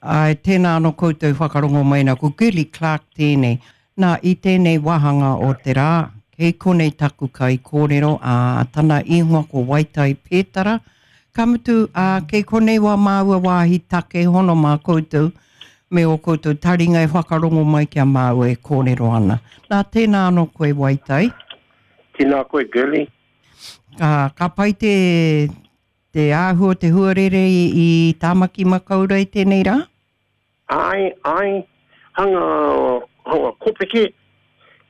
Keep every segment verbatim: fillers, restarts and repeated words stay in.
Ai, tēnā anō koutou whakarongo mai nā, ko Girlie Clarke tēnei. Nā, i tēnei wāhanga o te rā, kei konei taku kai kōrero, ā, tana ingoa ko Waitai Pētara. Ka mutu, ā, kei konei wā māua wāhi take hono mā koutou, me o koutou taringa e whakarongo mai ki a māua e kōrero ana. Nā, tēnā anō koe Waitai. Tēnā koe, Girlie. Ka, ka pai te, te āhua te huarere i, i Tāmaki Makaurau i tēnei rā? Ai, ai, hanga, hanga kopeke,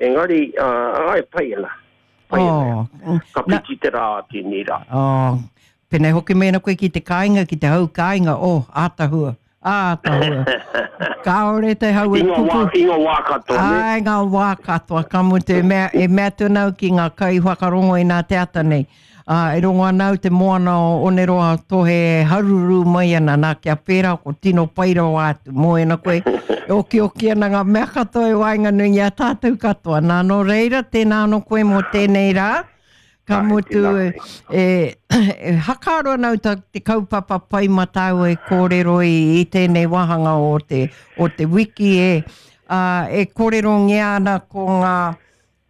engari, uh, ai, pai ana. Pai ana. Oh, Ka piti te rā tēnei rā. Oh, pēnei hoki mēnā koe ki te kāinga, ki te hau kāinga, oh, ātahua, ātahua. Kāore te hau e I ngā wā, pupu. i ngā wā katoa, ne? Ai, ngā wā katoa, ka mutu, e mea, e mea atu ana au ki ngā kai whakarongo i nā te ata nei. Uh, e rongo ana au te moana o Oneroa tohe e haruru mai ana, nā kia pērā ko tino pai rawa atu, mō koe, e okioki ana ngā mea katoa e waenganui i a tātou katoa. Nā, nō reira, tēnā anō koe mō tēnei rā, ka Ai, mutu tēnā e, e, e hakaaro ana au ta te kaupapa pai mā tāua e kōrero i, i tēnei wāhanga o te, o te wiki e, uh, e kōrerongia ana ko ngā,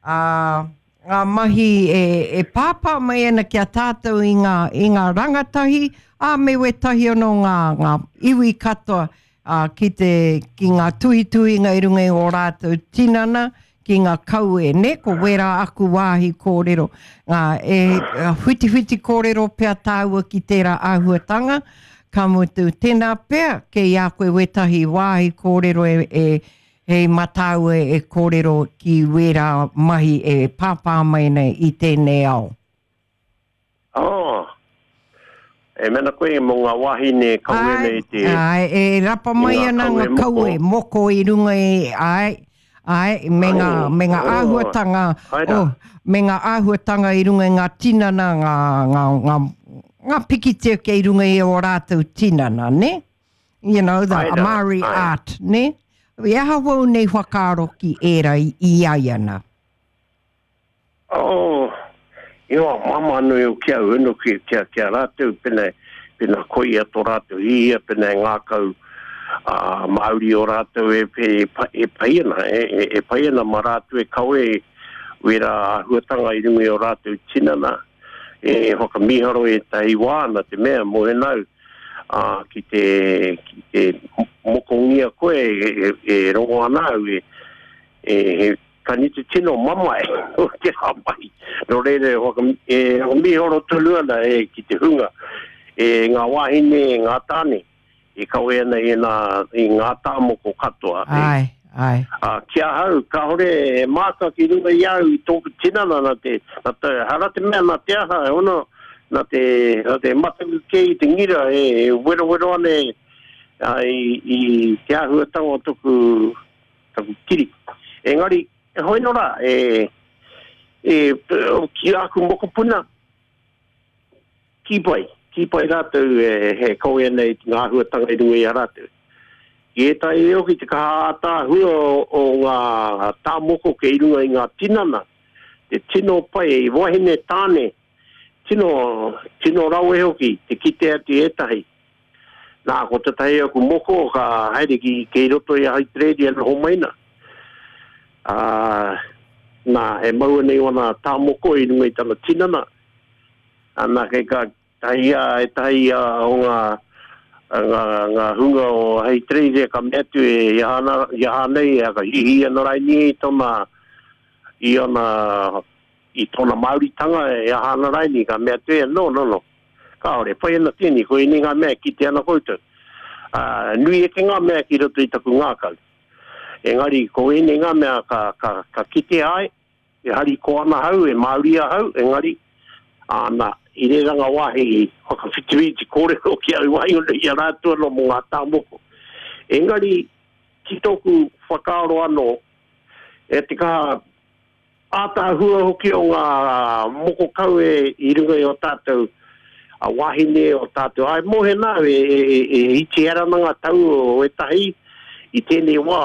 uh, ngā mahi e, e pāpā mai ana ki a tātou i ngā, i ngā rangatahi, ā, me wētahi anō ngā, ngā iwi katoa ā, ki, te, ki ngā tuhituhinga i runga i o rātou tinana, ki ngā kaue, ne? Ko wērā aku wāhi kōrero. Ngā, e, whitiwhiti kōrero pea tāua ki tērā āhuatanga, ka mutu, tēnā pea kei a koe wētahi wāhi kōrero e, e hei matāua e kōrero ki wērā mahi e pāpā mai nei i tēnei ao. Oh, e mena koe mō ngā wāhine kawe nei te... Ai, e rapa mai i ngā ana ngā kawe kawe, moko. moko i runga i, ai, ai, me ngā, Ai, me ngā oh, āhuatanga, ai rā. oh, me ngā āhuatanga i runga i ngā tinana, ngā, ngā, ngā, ngā pikitia kei runga i o rātou tinana, ne? You know, the Ai rā, Māori ai. art, ne? I aha wau nei whakaaro ki ērā i, i ai ana. Oh, i o mama nui o kia unu ki, kia, kia rātou, pena, pena koia tō rātou hihia, pena e ngākau uh, Māori o rātou e, e, e, e pai ana, e, e, e pai ana ma rātou e kawe wera āhuatanga i runga i o rātou tinana, e whakamiharo e tahi wā ana te mea mō henau, uh, ki te, ki te mokongia koe e, e, e rongo ana au e, e, he kaniti tino mamae o te hāpai. Nō reira e whaka, e whakamiharo tonu ana e ki te hunga, e ngā wāhine, e ngā tāne, e kawe ana i, nā, i ngā tāmoko katoa. E, Ai, ai. Uh, ki ahau, kāore e māka ki runga i au i tōku tinana nā te, nā te, hara te mea nā te aha, e ono, nā te, nā te mataku kē i te ngira e, e wero wero ane a, i, i te āhuatanga o toku, taku kiri. Engari, e hoi nō rā, e, e, ki aku mokopuna, ki pai, ki pai rātou e, he kawe ana i ngā āhuatanga i runga i a rātou. I ētahi e hoki te kaha ātāhua o, o ngā tāmoko kei runga i ngā tinana, te tino pai, i wahine tāne, tino, tino rawe hoki, te kite atu i ētahi. Nā, ko tētahi aku moko ka haere ki, kei roto i a Haitrēria noho maina. Uh, nā, e maua nei wana tāmoko i runga i tana tinana. Nā, kei ka tahi a, e tahi a o ngā, ngā, ngā hunga o Haitrēria ka mea atu e i aha, i aha nei, e ka hihi ana raini i tōna, i ona, i tōna Māoritanga e aha ana raini, ka mea atu e, no, no, no. Kāore, pai ana tēnei, ko ēnei ngā mea ki te ana koutou. Uh, nui eke ngā mea ki roto i taku ngākau. Engari, ko ēnei ngā mea ka, ka, ka kite ai, e hari ko ana hau, e Māori ahau, engari, āna, i reira ngā wāhi whakawhitiwhiti kōrero ki au waenganui i a rātou anō mō ngā tāmoko. Engari, ki tōku whakaaro anō, e te kaha ātāhua hoki o ngā moko kawe i runga i o tātou a wāhine o tātou. Ai, mō he nā, e, e, e, e iti hera ana ngā tau o ētahi i tēnei wā.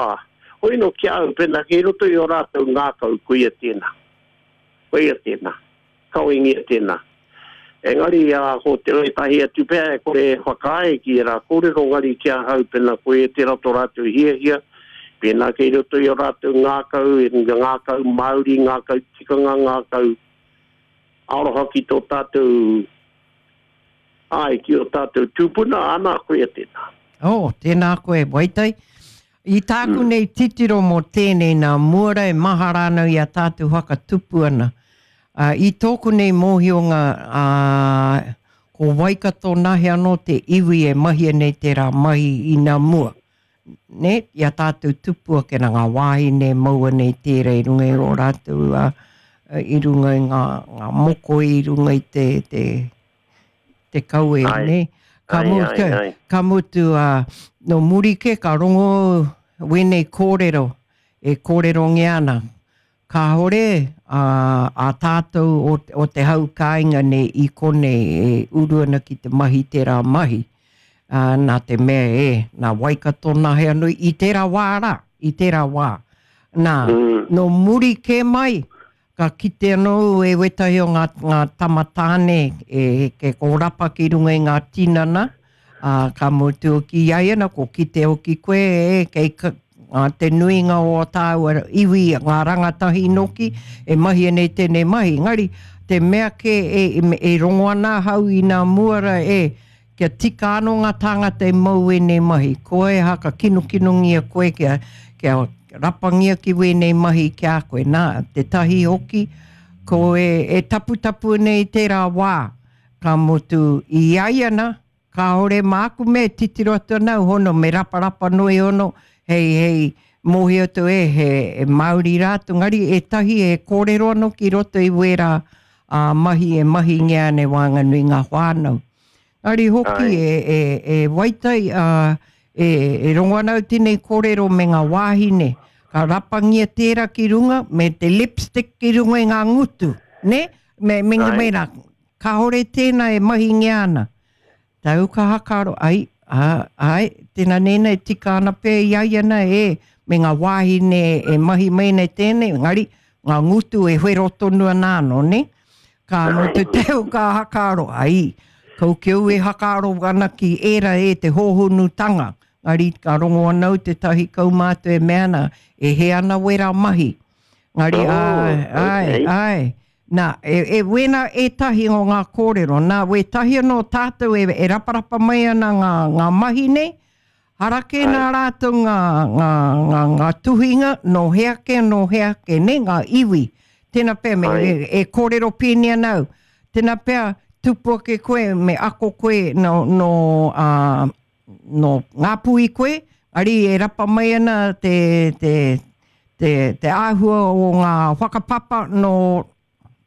Hoi no ki au, pēnā kei roto i o rātou ngākau, koia tēnā. Koia tēnā. Kawengia tēnā. Engari a ko te ētahi atu pea e kore e whakaae ki e rā kōrero ngari ki ahau pēnā koe e tērā tō rātou hiahia, pēnā kei roto i o rātou ngākau, e ngākau Māori, ngākau tikanga, ngākau aroha ki tō tātou ai, ki o tātou tūpuna, ana koe e tēnā. Oh, tēnā koe, Waitai. I tāku mm. nei titiro mō tēnei nā muara e mahara ana i a tātou whakatupu ana. Uh, i tōku nei mōhionga uh, ko Waikato nahe anō te iwi e mahia nei tērā mahi i nā mua. Ne? I a tātou tupu ake nā ngā wāhine maua nei tērā i runga i o rātou uh, i runga i ngā, ngā moko i runga i te, te, te kawe. Ai. Ne? Ka Ai, mutu, ai, ai. ka mutu uh, no muri ke ka rongo wēnei kōrero e kōrerongia ana. Kāore uh, a tātou o, o te hau kāinga nei i konei e uru ana ki te mahi tērā mahi. Uh, nā te mea e, nā Waikato nahe anō i tērā wā rā, i tērā wā. Nā, Mm. no muri kē mai, ka kite anō e wetahi o ngā, ngā tamatāne e, ke kōrapa ki runga i ngā tinana, uh, ka mutu ki ai ana, ko kite hoki koe e, kei ka, ngā te nuinga o tāua iwi, ngā rangatahi noki, e mahi nei tēnei mahi. Ngari, te mea ke e, e, e rongo ana ahau i nā muara e, kia tika anō ngā tāngata e mau ēnei mahi. Koe haka kinukinungia koe kia, kia rapangia ki wēnei mahi ki a koe. Nā, te tahi hoki, ko e, e taputapu nei tērā wā, ka mutu i ai ana, kāore māku me titiro atu ana hono, me raparapa noi hono, hei, hei, mōhi atu e, he, e Māori rātou, ngari e tahi e kōrero anō ki roto i wērā a mahi e mahi ngea nei wānganui ngā whānau. Ngari hoki Ai. e, e, e waitai, uh, e, e rongo ana au tēnei kōrero me ngā wāhine, ka rapangia tērā ki runga, me te lipstick ki runga i ngā ngutu, ne? Me, me, Ai. me rā, kāore tēnā e mahi ngea ana. Tau ka hakaro, ai, a, ai, tēnā nēnā e tika ana pē i ai ana e, me ngā wāhine e mahi mai nei tēnei, ngari, ngā ngutu e whero tonu ana anō, ne? Ka mutu teu ka hakaro, ai, kau kiau e hakaro ana ki era e te hōhunutanga. Ngari, ka rongo anau te tahi kaumātua e mea ana, e he ana wera mahi. Ngari, Oh, ai, ai, okay. ai. Nā, e, e wena e tahi o ngā kōrero. Nā, we tahi anō tātou e, e raparapa mai ana ngā, ngā mahi nei, harake Ai. nā rātou ngā, ngā, ngā, ngā tuhinga, no heake, no heake, ne, ngā iwi. Tēnā pea, me, Ai. e, e kōrero pēni ana au. Tēnā pea, tupu ake koe, me ako koe no, no, uh, no Ngāpuhi koe, ari e rapa mai ana te, te, te, te āhua o ngā whakapapa no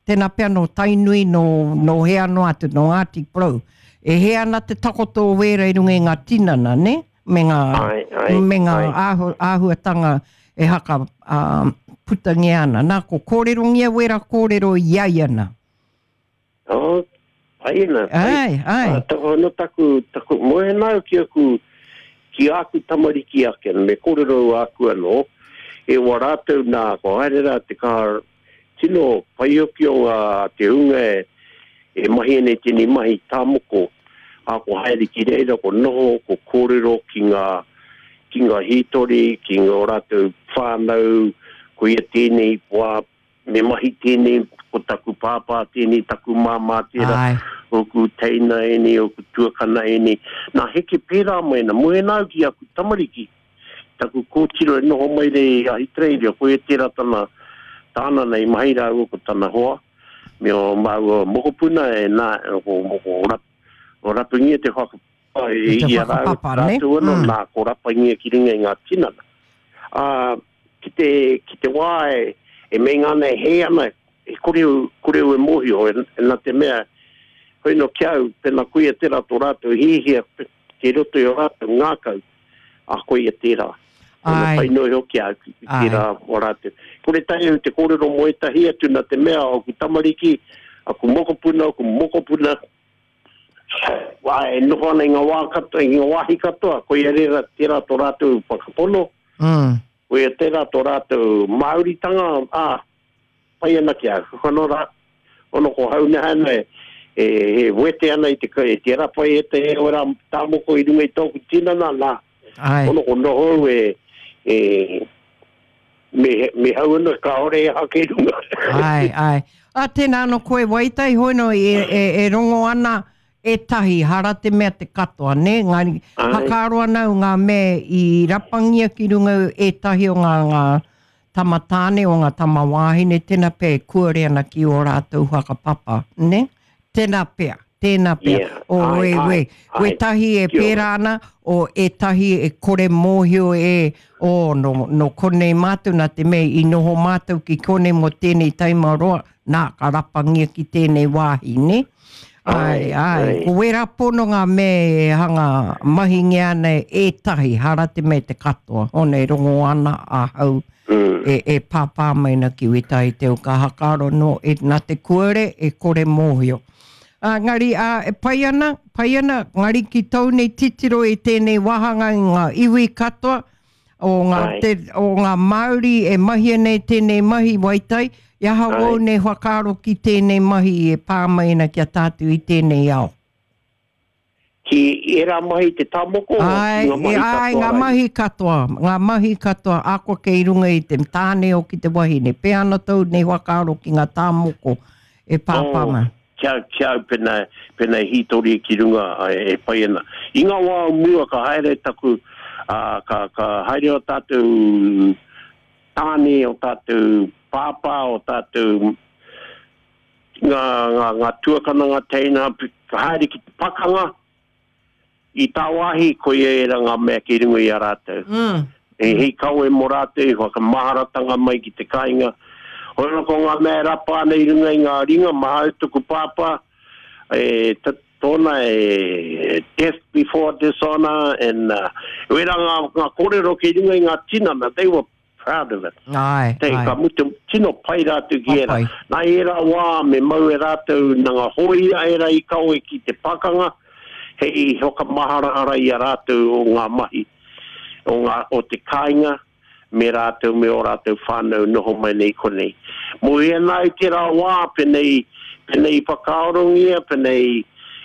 tēnā pea no Tainui, no, no hea no atu, no Ngāti Porou. E he ana te takoto o wēra i runga i ngā tinana, ne? Me ngā, Ai, ai, me ngā ai. āhu, āhuatanga e haka um, putangia ana. Nā, ko kōrerongia wēra kōrero i ai ana. Oh, pai ana, pai. Ai, ai. Ah, taku, no taku, taku, moe nau ki aku, ki aku tamariki ake, me kōrero aku anō, e wā rātou nā, ko haere rā te kā tino paioki o ngā te hunga e, e mahi nei tēnei mahi tāmoko, a ko haere ki reira, ko noho, ko kōrero ki ngā, ki ngā hītori, ki ngā rātou whānau, ko ia tēnei, wā, me mahi tēnei, ko taku pāpā tēnei, taku māmā tērā, Ai. oku teina eni, oku tuakana eni. Nā heke pērā mai, nā moe nau ki aku tamariki. Taku kōtiro e noho mai rei i Ahitereiria, ko e tērā tana, tāna nei mahi rāua ko tana hoa, me o māua mokopuna e nā, ko, ko, rap, o rapungia te whakapapa i, Te i a rāua whakapapa, ne? rātou anō, Mm. nā, ko rapangia ki runga i ngā tinana. Ā, ki te, ki te wā e, e meinga ana e hē ana, e kore, kore e mōhio, e, e nā te mea, hoi no ki au, pena koia tērā tō rātou hihia, ke roto i o rātou ngākau, a koia tērā. Ona Ai. pai noa hoki au ki Ai. tērā o rātou. Kore tahi au te kōrero mō ētahi atu nā te mea o ku tamariki, aku mokopuna, aku mokopuna, wā, e noho ana i ngā wā katoa, i ngā wāhi katoa, koia rera tērā tō rātou whakapono, Mm. koia tērā tō rātou Māoritanga, ā, pai ana ki au. Kono rā, ono ko hauneha ana e, e, e wete ana i te, e te rapa e te e ora tāmoko i runga i tōku tinana, nā. Ai. Ono ko noho e, e me, me hau ana ka ore e hake runga. Ai, ai. A tēnā no koe waitai hoino e, e, e rongo ana e tahi, hara te mea te katoa, ne? Ngari, Ai. hakaaro ana au ngā mea i rapangia ki runga e tahi o ngā, ngā tama tāne o ngā tama wāhine, tēnā pea e kuare ana ki o rātou whakapapa, ne? Tēnā pea, tēnā pea. Yeah. O Ai, we, ai, we, ai. we tahi e Kia ora. pērā ana, o e tahi e kore mōhio e, o no, no konei mātou, nā te mea i noho mātou ki konei mō tēnei taima roa, nā ka rapangia ki tēnei wāhi, ne? Ai, Ai, ai. ai. Ko wera pono ngā me e hanga mahingia ana e tahi, hara te me te katoa. One rongo ana ahau Mm. e, e pāpā mai na ki wetahi te o ka hakaro no e nā te kuare e kore mōhio. Ā, ngari, ā, e pai ana, pai ana, ngari ki tau nei titiro i tēnei wāhanga i ngā iwi katoa, o ngā, Ai. te, o ngā Māori e mahia nei tēnei mahi waitai, i aha Ai. wau nei whakaaro ki tēnei mahi e pā mai ana ki a tātou i tēnei ao. Ki era mahi te tāmoko, Ai, ki ngā mahi e, ai, katoa ngā rai? mahi katoa, ngā mahi katoa, ako kei runga i te tāne o ki te wahine. Pē ana tau nei whakaaro ki ngā tāmoko e pāpā Oh, mai. kia, kia au pena, pena hītori ki runga e, e pai ana. I ngā wā o mua ka haere taku, uh, ka, ka haere o tātou tāne, o tātou pāpā, o tātou ngā, ngā, ngā tuakana, ngā teina, ka haere ki te pakanga, i tāwāhi koia era ngā mea ki runga i a rātou. Mm. E hei kawe mō rātou, i whakamaharatanga mai ki te kāinga. Hono ko ngā mea rapa ana i runga i ngā ringa, mahau tuku pāpā, e, tōna e death before dishonor, and uh, wera ngā, ngā kōrero ki runga i ngā tinana, they were proud of it. Ai, Te, ai. ka mutu tino pai rātou ki era. Pai. Nā era wā me mau e rātou nā ngā hōia era i kawe ki te pakanga, hei whakamaharahara i a rātou o ngā mahi, o, ngā, o te kāinga, me rātou me o rātou whānau noho mai nei konei. Mō ia nā i te rā wā, penei, penei whakaarongia, penei,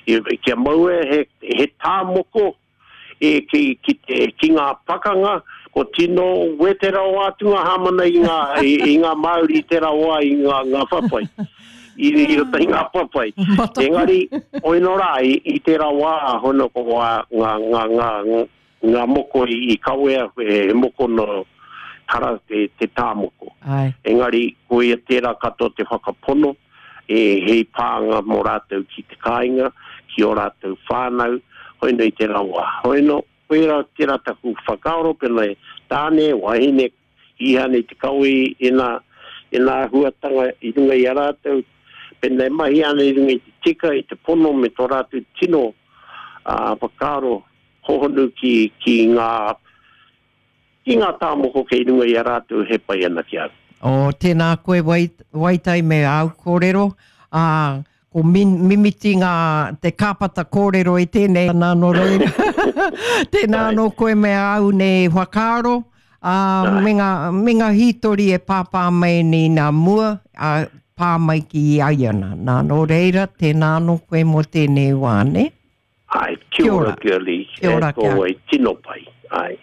i- kia mau e he, he tāmoko e ki, ki, te, ki ngā pakanga, ko tino wetera o atu ngā hamana i ngā, i, i ngā Māori i te rā wā i ngā, ngā papai. I, i roto i ngā papai. Mataku. Engari, oino rā, i, i te rā wā, hono ko wā, ngā, ngā, ngā, ngā, ngā moko i, i kawea, e, he moko no hara te, te tāmoko. Ai. Engari, ko ia tērā katoa te whakapono, e hei pānga mō rātou ki te kāinga, ki o rātou whānau, hoino i te rawa. Hoino, koira tērā taku whakaaro, pena e tāne, wahine, ihane te kawe i nā, i nā huatanga i runga i a rātou, pena e mahi ana i runga i te tika, i te pono me tō rātou tino uh, whakaaro hohonu ki, ki ngā ki ngā tāmoko kei runga i a rātou he pai ana ki au. O, tēnā koe wai, waitai me au kōrero. Ā, ko min, mimiti ngā te kāpata kōrero i tēnei nā no reira. Tēnā Ai. no koe me au nei whakaaro. Ā, Ai. me ngā, me ngā hītori e pāpā mai nei nā mua, ā, pā mai ki i aiana. Nā no reira, tēnā no koe mō tēnei wā, ne? Ai, kia Kia ora, ora. Girlie. Kia ora E kia. tō wai tino pai. Ai.